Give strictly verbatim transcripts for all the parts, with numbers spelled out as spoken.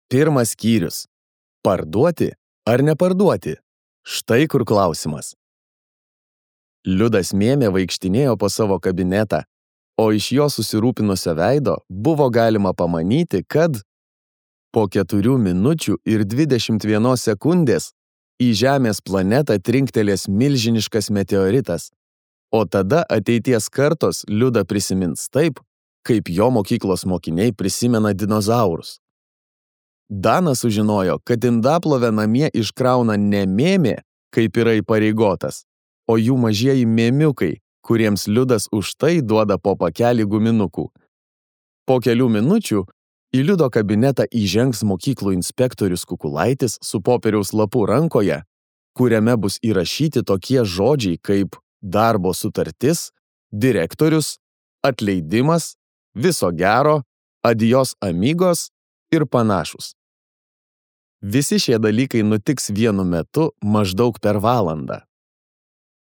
Pirmas skyrius. Parduoti ar neparduoti? Štai kur klausimas. Liudas Mėmė vaikštinėjo po savo kabinetą, o iš jo susirūpinusio veido buvo galima pamanyti, kad po keturių minučių ir dvidešimt vienos sekundės į Žemės planetą trinktelės milžiniškas meteoritas, o tada ateities kartos Liudą prisimins taip, kaip jo mokyklos mokiniai prisimena dinozaurus. Danas sužinojo, kad indaplovę namie iškrauna ne Mėmė, kaip yra įpareigotas, o jų mažieji mėmiukai, kuriems Liudas už tai duoda po pakelį guminukų. Po kelių minučių į Liudo kabinetą įžengs mokyklų inspektorius Kukulaitis su popieriaus lapu rankoje, kuriame bus įrašyti tokie žodžiai kaip darbo sutartis, direktorius, atleidimas, viso gero, adios amigos ir panašus. Visi šie dalykai nutiks vienu metu maždaug per valandą.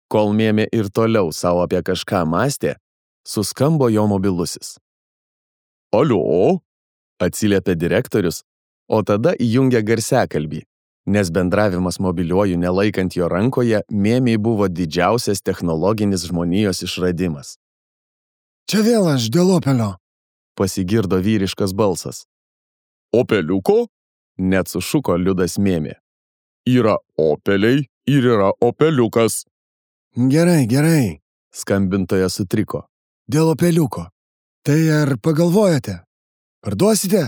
Kol Mėmė ir toliau savo apie kažką mąstė, suskambo jo mobilusis. Alio, atsiliepė direktorius, o tada įjungė garsiakalbį, nes bendravimas mobiliuoju nelaikant jo rankoje Mėmei buvo didžiausias technologinis žmonijos išradimas. Čia vėl aš dėl Opelio, pasigirdo vyriškas balsas. Opeliuko? Net sušuko Liudas Mėmė. Yra Opeliai ir yra Opeliukas. Gerai, gerai, skambintoja sutriko. Dėl Opeliuko. Tai ar pagalvojate? Parduosite?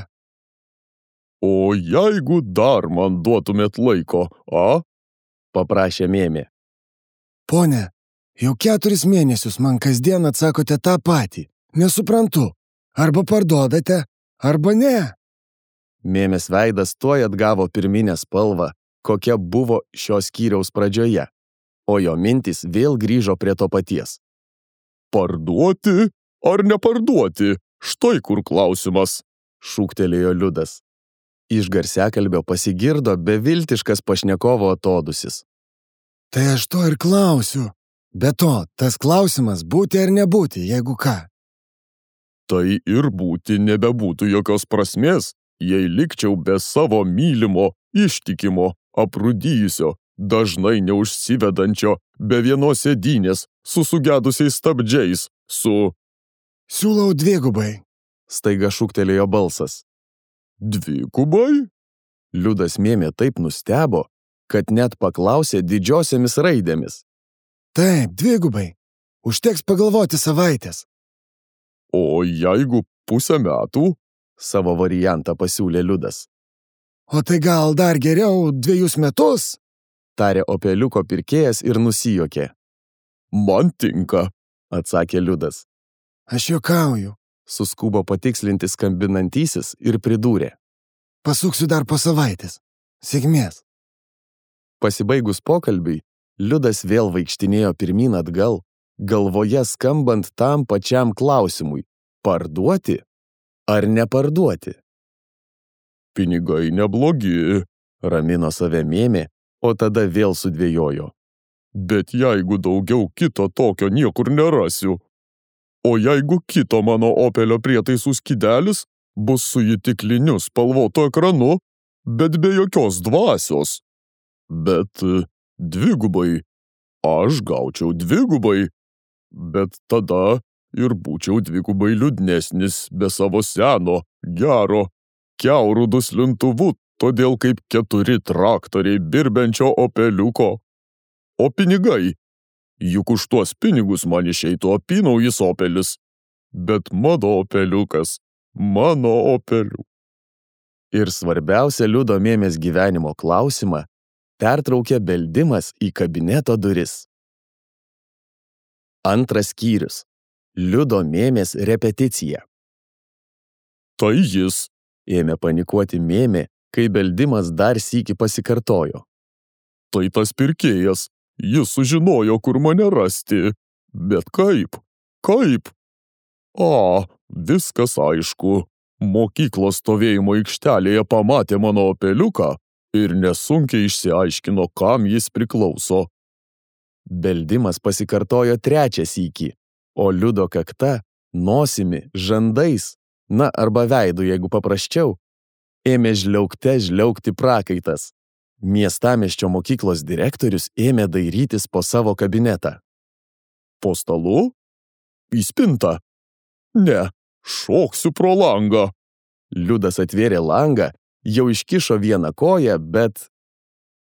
O jeigu dar man duotumėt laiko, a? Paprašė Mėmė. Pone, jau keturis mėnesius man kasdien atsakote tą patį. Nesuprantu. Arba parduodate, arba ne. Mėmės veidas tuoj atgavo pirminę spalvą, kokia buvo šios skyriaus pradžioje, o jo mintys vėl grįžo prie to paties. Parduoti ar neparduoti? Štai kur klausimas, šūktelėjo Liudas. Iš garsiakalbio pasigirdo beviltiškas pašnekovo atodusis. Tai aš to ir klausiu. Be to, tas klausimas būti ar nebūti, jeigu ką. Tai ir būti nebebūtų jokios prasmės, jei likčiau be savo mylimo, ištikimo, aprūdijusio, dažnai neužsivedančio, be vienos sėdynės, su sugedusiais stabdžiais, su... Siūlau dvigubai, staiga šūktelėjo balsas. Dvigubai? Liudas Mėmė taip nustebo, kad net paklausė didžiosiomis raidėmis. Taip, dvigubai. Užteks pagalvoti savaitės. O jeigu pusę metų? Savo variantą pasiūlė Liudas. O tai gal dar geriau dviejus metus? Tarė Opeliuko pirkėjas ir nusijuokė. Man tinka, atsakė Liudas. Aš juokauju, suskubo patikslinti skambinantysis ir pridūrė. Pasuksiu dar po savaitės. Sėkmės. Pasibaigus pokalbiui, Liudas vėl vaikštinėjo pirmyn atgal, galvoje skambant tam pačiam klausimui – parduoti ar neparduoti? Pinigai neblogi, ramino save Mėmė, o tada vėl sudvejojo. Bet jeigu daugiau kito tokio niekur nerasiu, o jeigu kito mano Opelio prietaisų skydelis bus su įtikliniu spalvotu ekranu, bet be jokios dvasios. Bet dvigubai, aš gaučiau dvigubai, bet tada ir būčiau dvigubai liūdnesnis be savo seno, gero, kiaurų duslintuvu, todėl kaip keturi traktoriai birbenčio Opeliuko. O pinigai? Juk už tuos pinigus man išeitų apynaujis Opelis. Bet mano Opeliukas, mano Opeliu. Ir svarbiausia Liudo Mėmės gyvenimo klausimą pertraukė beldimas į kabineto duris. Antras skyrius. Liudo Mėmės repeticija. Tai jis, ėmė panikuoti Mėmė, kai beldimas dar sykį pasikartojo. Tai tas pirkėjas, jis sužinojo, kur mane rasti. Bet kaip? Kaip? A, viskas aišku. Mokyklos stovėjimo aikštelėje pamatė mano Opeliuką ir nesunkiai išsiaiškino, kam jis priklauso. Beldimas pasikartojo trečią sykį, o Liudo kakta, nosimi, žandais, na arba veidu, jeigu paprasčiau, Ėmė žliaugte žliaugti prakaitas. Miestamiesčio mokyklos direktorius ėmė dairytis po savo kabinetą. Po stalu? Į spintą? Ne, šoksiu pro langą. Liudas atvėrė langą, jau iškišo vieną koją, bet